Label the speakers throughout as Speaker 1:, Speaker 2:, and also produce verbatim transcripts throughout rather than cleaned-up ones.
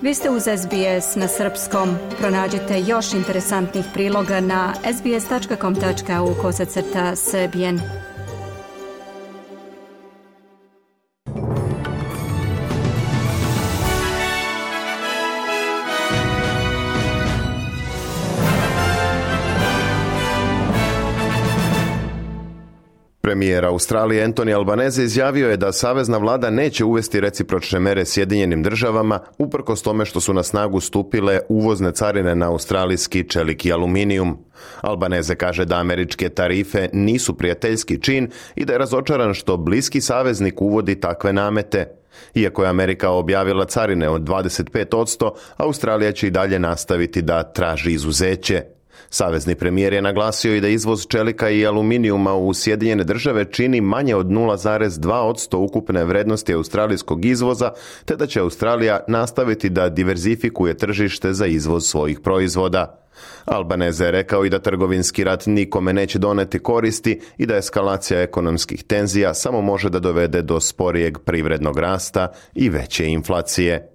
Speaker 1: Vi ste uz S B S na srpskom. Pronađite još interesantnih priloga na sbs.com.au kosacrta srbijen.
Speaker 2: Premijer Australije Anthony Albanese izjavio je da savezna vlada neće uvesti recipročne mere Sjedinjenim državama uprkos tome što su na snagu stupile uvozne carine na australijski čelik i aluminijum. Albanese kaže da američke tarife nisu prijateljski čin i da je razočaran što bliski saveznik uvodi takve namete. Iako je Amerika objavila carine od dvadeset pet posto, Australija će i dalje nastaviti da traži izuzeće. Savezni premijer je naglasio i da izvoz čelika i aluminijuma u Sjedinjene države čini manje od nula zarez dva posto ukupne vrednosti australijskog izvoza, te da će Australija nastaviti da diverzifikuje tržište za izvoz svojih proizvoda. Albanese je rekao i da trgovinski rat nikome neće doneti koristi i da eskalacija ekonomskih tenzija samo može da dovede do sporijeg privrednog rasta i veće inflacije.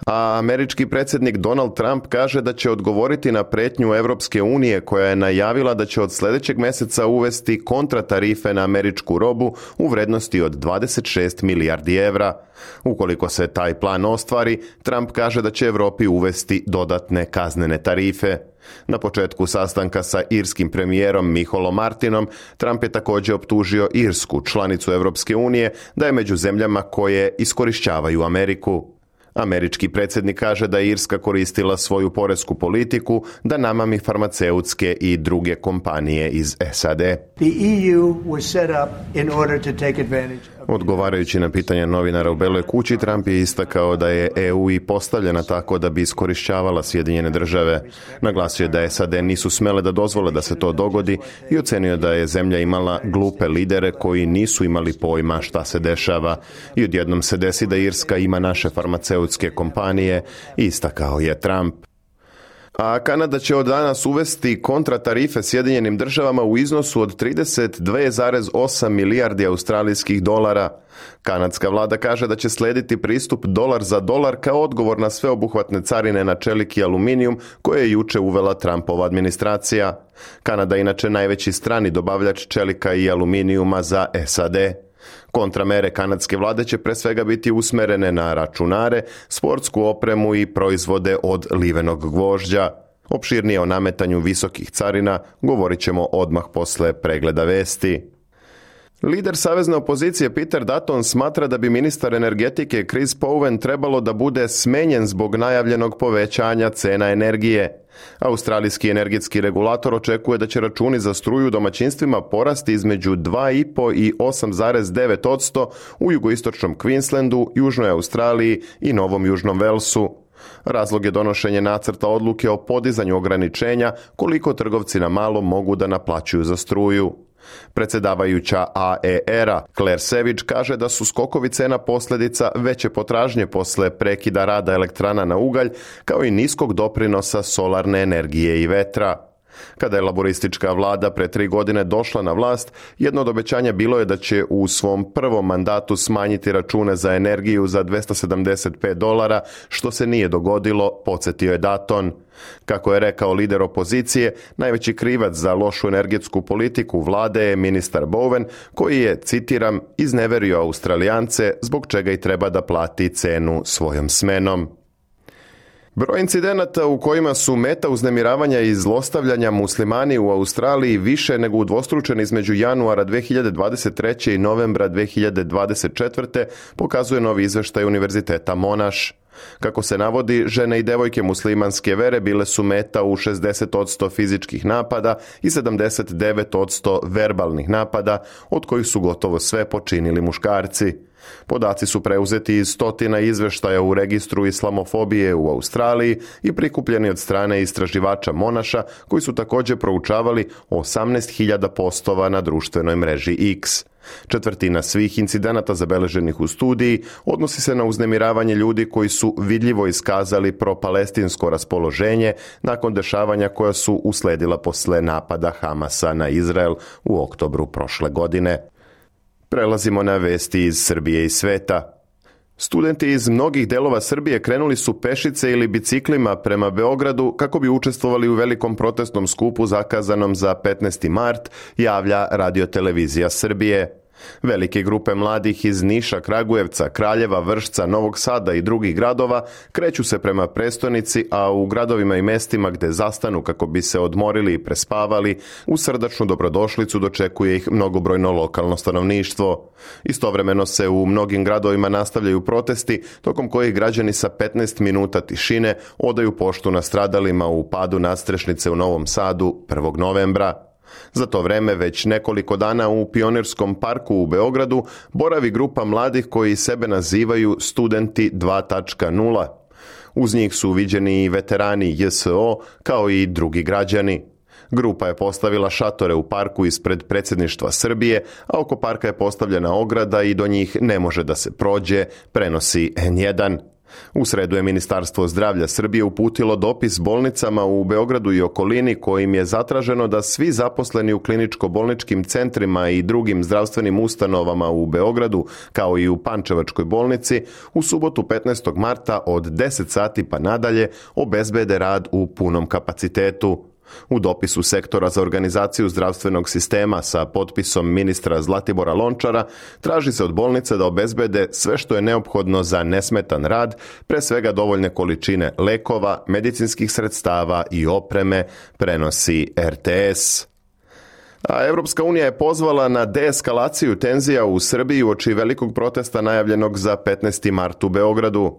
Speaker 2: A američki predsjednik Donald Trump kaže da će odgovoriti na pretnju Evropske unije koja je najavila da će od sljedećeg mjeseca uvesti kontratarife na američku robu u vrednosti od dvadeset šest milijardi evra. Ukoliko se taj plan ostvari, Trump kaže da će Europi uvesti dodatne kaznene tarife. Na početku sastanka sa irskim premijerom Micholom Martinom, Trump je također optužio Irsku, članicu Evropske unije, da je među zemljama koje iskorišćavaju Ameriku. Američki predsjednik kaže da je Irska koristila svoju poresku politiku da namami farmaceutske i druge kompanije iz S A D.
Speaker 3: The E U was set up in order to take advantage.
Speaker 2: Odgovarajući na pitanje novinara u Beloj kući, Trump je istakao da je E U i postavljena tako da bi iskorišćavala Sjedinjene države. Naglasio je da S A D nisu smele da dozvole da se to dogodi i ocenio da je zemlja imala glupe lidere koji nisu imali pojma šta se dešava. I odjednom se desi da Irska ima naše farmaceutske kompanije, istakao je Trump. A Kanada će od danas uvesti kontratarife Sjedinjenim državama u iznosu od trideset dva zarez osam milijardi australijskih dolara. Kanadska vlada kaže da će slijediti pristup dolar za dolar kao odgovor na sveobuhvatne carine na čelik i aluminijum koje je juče uvela Trumpova administracija. Kanada je inače najveći strani dobavljač čelika i aluminijuma za S A D. Kontramere kanadske vlade će pre svega biti usmerene na računare, sportsku opremu i proizvode od livenog gvožđa. Opširnije o nametanju visokih carina govorit ćemo odmah posle pregleda vesti. Lider savezne opozicije Peter Dutton smatra da bi ministar energetike Chris Powen trebalo da bude smenjen zbog najavljenog povećanja cena energije. Australijski energetski regulator očekuje da će računi za struju domaćinstvima porasti između dva i po i osam zarez devet posto u jugoistočnom Queenslandu, Južnoj Australiji i Novom Južnom Velsu. Razlog je donošenje nacrta odluke o podizanju ograničenja koliko trgovci na malo mogu da naplaćuju za struju. Predsjedavajuća A E R-a Claire Savage kaže da su skokovi cena posljedica veće potražnje posle prekida rada elektrana na ugalj, kao i niskog doprinosa solarne energije i vetra. Kada je laboristička vlada pre tri godine došla na vlast, jedno od obećanja bilo je da će u svom prvom mandatu smanjiti račune za energiju za dvesta sedamdeset pet dolara, što se nije dogodilo, podsjetio je Dutton. Kako je rekao lider opozicije, najveći krivac za lošu energetsku politiku vlade je ministar Bowen, koji je, citiram, izneverio Australijance, zbog čega i treba da plati cenu svojom smenom. Broj incidenata u kojima su meta uznemiravanja i zlostavljanja muslimani u Australiji više nego udvostručeni između januara dve hiljade dvadeset treće i novembra dve hiljade dvadeset četvrte pokazuje novi izveštaj Univerziteta Monash. Kako se navodi, žene i devojke muslimanske vere bile su meta u šezdeset posto fizičkih napada i sedamdeset devet posto verbalnih napada, od kojih su gotovo sve počinili muškarci. Podaci su preuzeti iz stotina izveštaja u registru islamofobije u Australiji i prikupljeni od strane istraživača Monasha, koji su također proučavali osamnaest hiljada postova na društvenoj mreži X. Četvrtina svih incidenata zabeleženih u studiji odnosi se na uznemiravanje ljudi koji su vidljivo iskazali propalestinsko raspoloženje nakon dešavanja koja su usledila posle napada Hamasa na Izrael u oktobru prošle godine. Prelazimo na vesti iz Srbije i sveta. Studenti iz mnogih delova Srbije krenuli su pešice ili biciklima prema Beogradu kako bi učestvovali u velikom protestnom skupu zakazanom za petnaesti mart, javlja Radio-televizija Srbije. Velike grupe mladih iz Niša, Kragujevca, Kraljeva, Vršca, Novog Sada i drugih gradova kreću se prema prestonici, a u gradovima i mestima gde zastanu kako bi se odmorili i prespavali, u srdačnu dobrodošlicu dočekuje ih mnogobrojno lokalno stanovništvo. Istovremeno se u mnogim gradovima nastavljaju protesti, tokom kojih građani sa petnaest minuta tišine odaju poštu nastradalima u padu nadstrešnice u Novom Sadu prvog novembra. Za to vreme već nekoliko dana u Pionirskom parku u Beogradu boravi grupa mladih koji sebe nazivaju Studenti dva tačka nula. Uz njih su viđeni i veterani J S O kao i drugi građani. Grupa je postavila šatore u parku ispred predsjedništva Srbije, a oko parka je postavljena ograda i do njih ne može da se prođe, prenosi N jedan. U sredu je Ministarstvo zdravlja Srbije uputilo dopis bolnicama u Beogradu i okolini kojim je zatraženo da svi zaposleni u kliničko-bolničkim centrima i drugim zdravstvenim ustanovama u Beogradu, kao i u Pančevačkoj bolnici, u subotu petnaestog marta od deset sati pa nadalje obezbede rad u punom kapacitetu. U dopisu Sektora za organizaciju zdravstvenog sistema sa potpisom ministra Zlatibora Lončara traži se od bolnice da obezbede sve što je neophodno za nesmetan rad, pre svega dovoljne količine lekova, medicinskih sredstava i opreme, prenosi R T S. A Evropska unija je pozvala na deeskalaciju tenzija u Srbiji uoči velikog protesta najavljenog za petnaesti mart u Beogradu.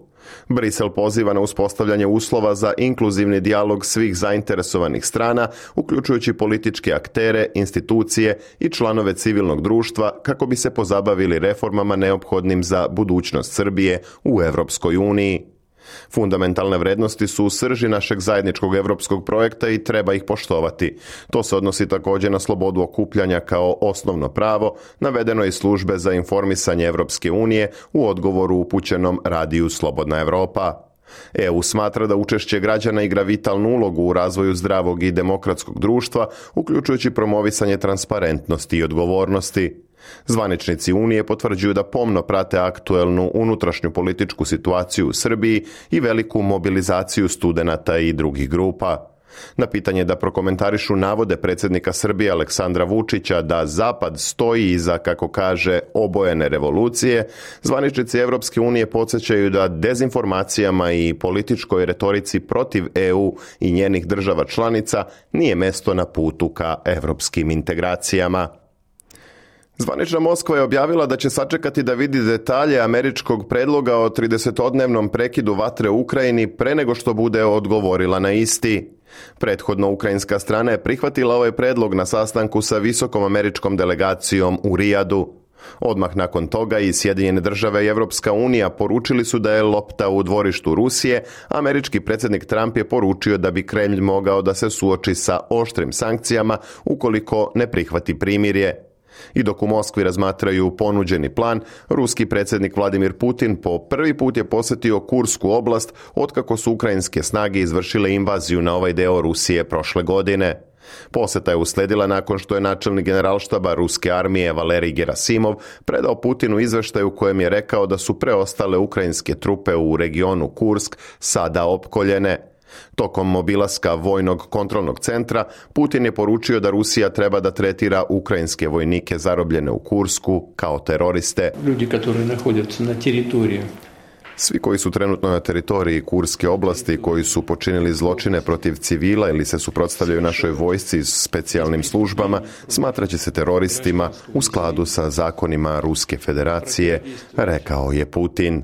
Speaker 2: Brisel poziva na uspostavljanje uslova za inkluzivni dijalog svih zainteresovanih strana, uključujući političke aktere, institucije i članove civilnog društva, kako bi se pozabavili reformama neophodnim za budućnost Srbije u Evropskoj uniji. Fundamentalne vrednosti su u srži našeg zajedničkog evropskog projekta i treba ih poštovati. To se odnosi također na slobodu okupljanja kao osnovno pravo, navedeno iz službe za informisanje Evropske unije u odgovoru upućenom radiju Slobodna Evropa. E U smatra da učešće građana igra vitalnu ulogu u razvoju zdravog i demokratskog društva, uključujući promovisanje transparentnosti i odgovornosti. Zvaničnici Unije potvrđuju da pomno prate aktuelnu unutrašnju političku situaciju u Srbiji i veliku mobilizaciju studenata i drugih grupa. Na pitanje da prokomentarišu navode predsjednika Srbije Aleksandra Vučića da Zapad stoji iza, kako kaže, obojene revolucije, zvaničnici Evropske unije podsjećaju da dezinformacijama i političkoj retorici protiv E U i njenih država članica nije mesto na putu ka evropskim integracijama. Zvanična Moskva je objavila da će sačekati da vidi detalje američkog predloga o tridesetodnevnom prekidu vatre u Ukrajini pre nego što bude odgovorila na isti. Prethodno ukrajinska strana je prihvatila ovaj predlog na sastanku sa visokom američkom delegacijom u Rijadu. Odmah nakon toga i Sjedinjene države i Evropska unija poručili su da je lopta u dvorištu Rusije, a američki predsjednik Trump je poručio da bi Kremlj mogao da se suoči sa oštrim sankcijama ukoliko ne prihvati primirje. I dok u Moskvi razmatraju ponuđeni plan, ruski predsjednik Vladimir Putin po prvi put je posjetio Kursku oblast otkako su ukrajinske snage izvršile invaziju na ovaj deo Rusije prošle godine. Posjeta je usledila nakon što je načelnik generalštaba ruske armije Valerij Gerasimov predao Putinu izveštaj u kojem je rekao da su preostale ukrajinske trupe u regionu Kursk sada opkoljene. Tokom obilaska vojnog kontrolnog centra, Putin je poručio da Rusija treba da tretira ukrajinske vojnike zarobljene u Kursku kao teroriste.
Speaker 4: Ljudi koji naходятся na teritoriji.
Speaker 2: Svi koji su trenutno na teritoriji Kurske oblasti, koji su počinili zločine protiv civila ili se suprotstavljaju našoj vojsci s specijalnim službama, smatraće se teroristima u skladu sa zakonima Ruske federacije, rekao je Putin.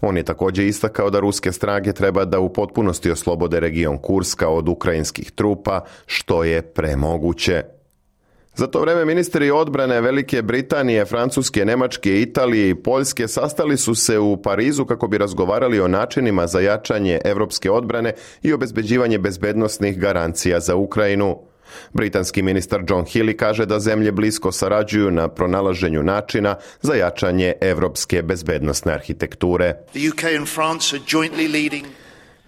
Speaker 2: On je također istakao da ruske snage treba da u potpunosti oslobode region Kurska od ukrajinskih trupa, što je premoguće. Za to vreme ministri odbrane Velike Britanije, Francuske, Nemačke, Italije i Poljske sastali su se u Parizu kako bi razgovarali o načinima za jačanje evropske odbrane i obezbeđivanje bezbednosnih garancija za Ukrajinu. Britanski ministar John Healey kaže da zemlje blisko sarađuju na pronalaženju načina za jačanje evropske bezbednosne arhitekture.
Speaker 5: The U K and France are jointly leading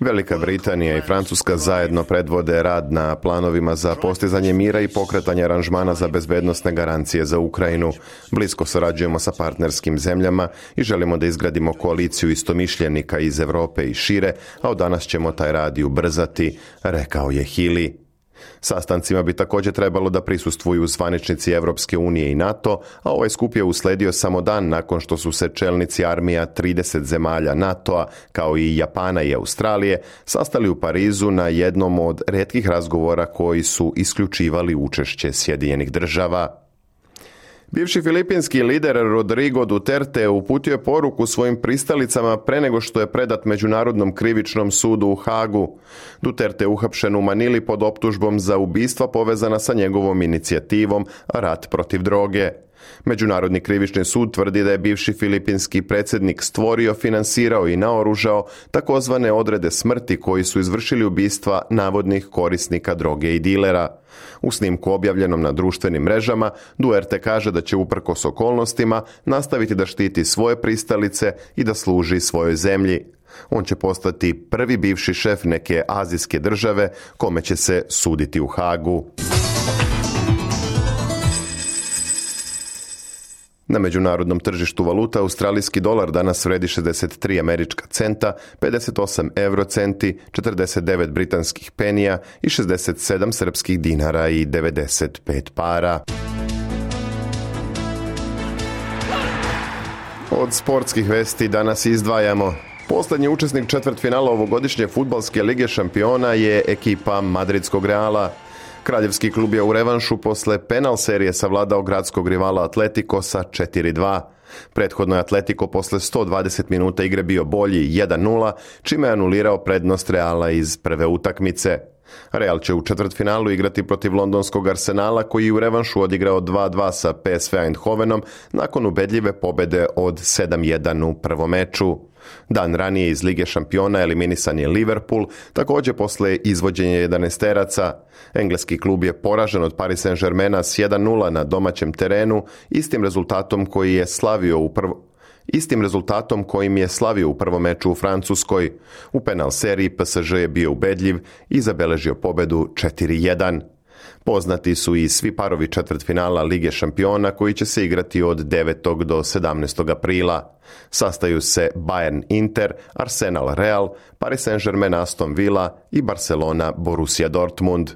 Speaker 2: Velika Britanija i Francuska zajedno predvode rad na planovima za postizanje mira i pokretanje aranžmana za bezbednosne garancije za Ukrajinu. Blisko surađujemo sa partnerskim zemljama i želimo da izgradimo koaliciju istomišljenika iz Europe i šire, a od danas ćemo taj rad i ubrzati, rekao je Healey. Sastancima bi također trebalo da prisustvuju zvaničnici Evropske unije i NATO, a ovaj skup je usledio samo dan nakon što su se čelnici armija trideset zemalja NATO-a, kao i Japana i Australije, sastali u Parizu na jednom od retkih razgovora koji su isključivali učešće Sjedinjenih država. Bivši filipinski lider Rodrigo Duterte uputio je poruku svojim pristalicama pre nego što je predat Međunarodnom krivičnom sudu u Hagu. Duterte je uhapšen u Manili pod optužbom za ubistva povezana sa njegovom inicijativom Rat protiv droge. Međunarodni krivični sud tvrdi da je bivši filipinski predsjednik stvorio, finansirao i naoružao takozvane odrede smrti koji su izvršili ubistva navodnih korisnika droge i dilera. U snimku objavljenom na društvenim mrežama, Duterte kaže da će uprkos okolnostima nastaviti da štiti svoje pristalice i da služi svojoj zemlji. On će postati prvi bivši šef neke azijske države kome će se suditi u Hagu. Na međunarodnom tržištu valuta australijski dolar danas vredi šezdeset tri američka centa, pedeset osam eurocenti, četrdeset devet britanskih penija i šezdeset sedam srpskih dinara i devedeset pet para. Od sportskih vesti danas izdvajamo: posljednji učesnik četvrtfinala ovogodišnje fudbalske lige šampiona je ekipa madridskog Reala. Kraljevski klub je u revanšu posle penal serije savladao gradskog rivala Atletico sa četiri dva. Prethodno je Atletico posle sto dvadeset minuta igre bio bolji jedan nula, čime je anulirao prednost Reala iz prve utakmice. Real će u četvrtfinalu igrati protiv londonskog Arsenala, koji je u revanšu odigrao dva dva sa P S V Eindhovenom nakon ubedljive pobede od sedam jedan u prvom meču. Dan ranije iz Lige šampiona eliminisan je Liverpool, također posle izvođenja jedanaesteraca. Engleski klub je poražen od Paris Saint-Germaina s jedan nula na domaćem terenu, istim rezultatom koji je slavio u prvo... Istim rezultatom kojim je slavio u prvom meču u Francuskoj. U penal seriji P S G je bio ubedljiv i zabeležio pobedu četiri jedan. Poznati su i svi parovi četvrtfinala Lige šampiona koji će se igrati od devetog do sedamnaestog aprila. Sastaju se Bayern Inter, Arsenal Real, Paris Saint-Germain Aston Villa i Barcelona Borussia Dortmund.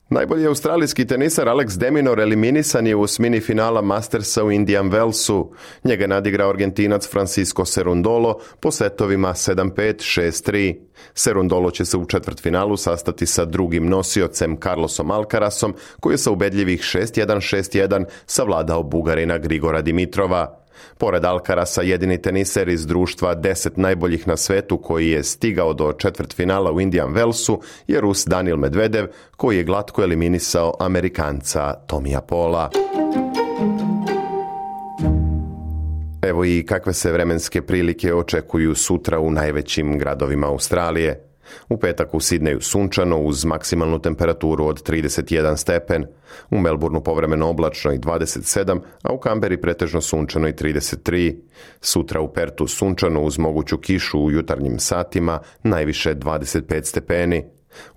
Speaker 2: Najbolji australijski tenisar Alex de Minaur eliminisan je u osmini finala Mastersa u Indian Wellsu. Njega nadigrao Argentinac Francisco Cerundolo po setovima sedam pet, šest tri. Cerundolo će se u četvrtfinalu sastati sa drugim nosiocem Carlosom Alcarasom, koji je sa ubedljivih šest jedan, šest jedan savladao Bugarina Grigora Dimitrova. Pored Alcarasa, jedini teniser iz društva deset najboljih na svetu koji je stigao do četvrtfinala u Indian Wellsu je Rus Daniil Medvedev, koji je glatko eliminisao Amerikanca Tomija Paula. Evo i kakve se vremenske prilike očekuju sutra u najvećim gradovima Australije. U petak u Sidneju sunčano uz maksimalnu temperaturu od trideset jedan stepen, u Melbourneu povremeno oblačno i dvadeset sedam, a u Kamberi pretežno sunčano i trideset tri. Sutra u Pertu sunčano uz moguću kišu u jutarnjim satima, najviše dvadeset pet stepeni.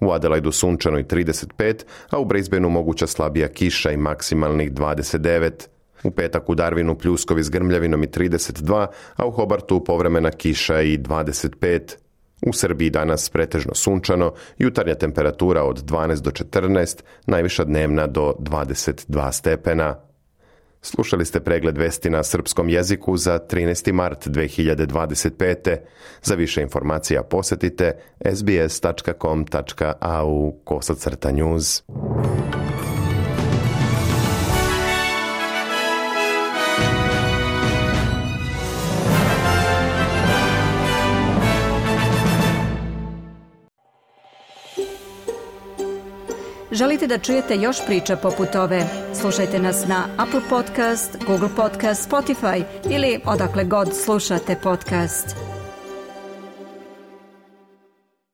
Speaker 2: U Adelaidu sunčano i trideset pet, a u Brisbaneu moguća slabija kiša i maksimalnih dvadeset devet. U petak u Darwinu pljuskovi s grmljavinom i trideset dva, a u Hobartu povremena kiša i dvadeset pet. U Srbiji danas pretežno sunčano, jutarnja temperatura od dvanaest do četrnaest, najviša dnevna do dvadeset dva stepena. Slušali ste pregled vesti na srpskom jeziku za trinaesti mart dve hiljade dvadeset pete. Za više informacija posjetite s b s tačka com tačka a u kosacrta news.
Speaker 1: Želite da čujete još priča poput ove? Slušajte nas na Apple Podcast, Google Podcast, Spotify ili odakle god slušate podcast.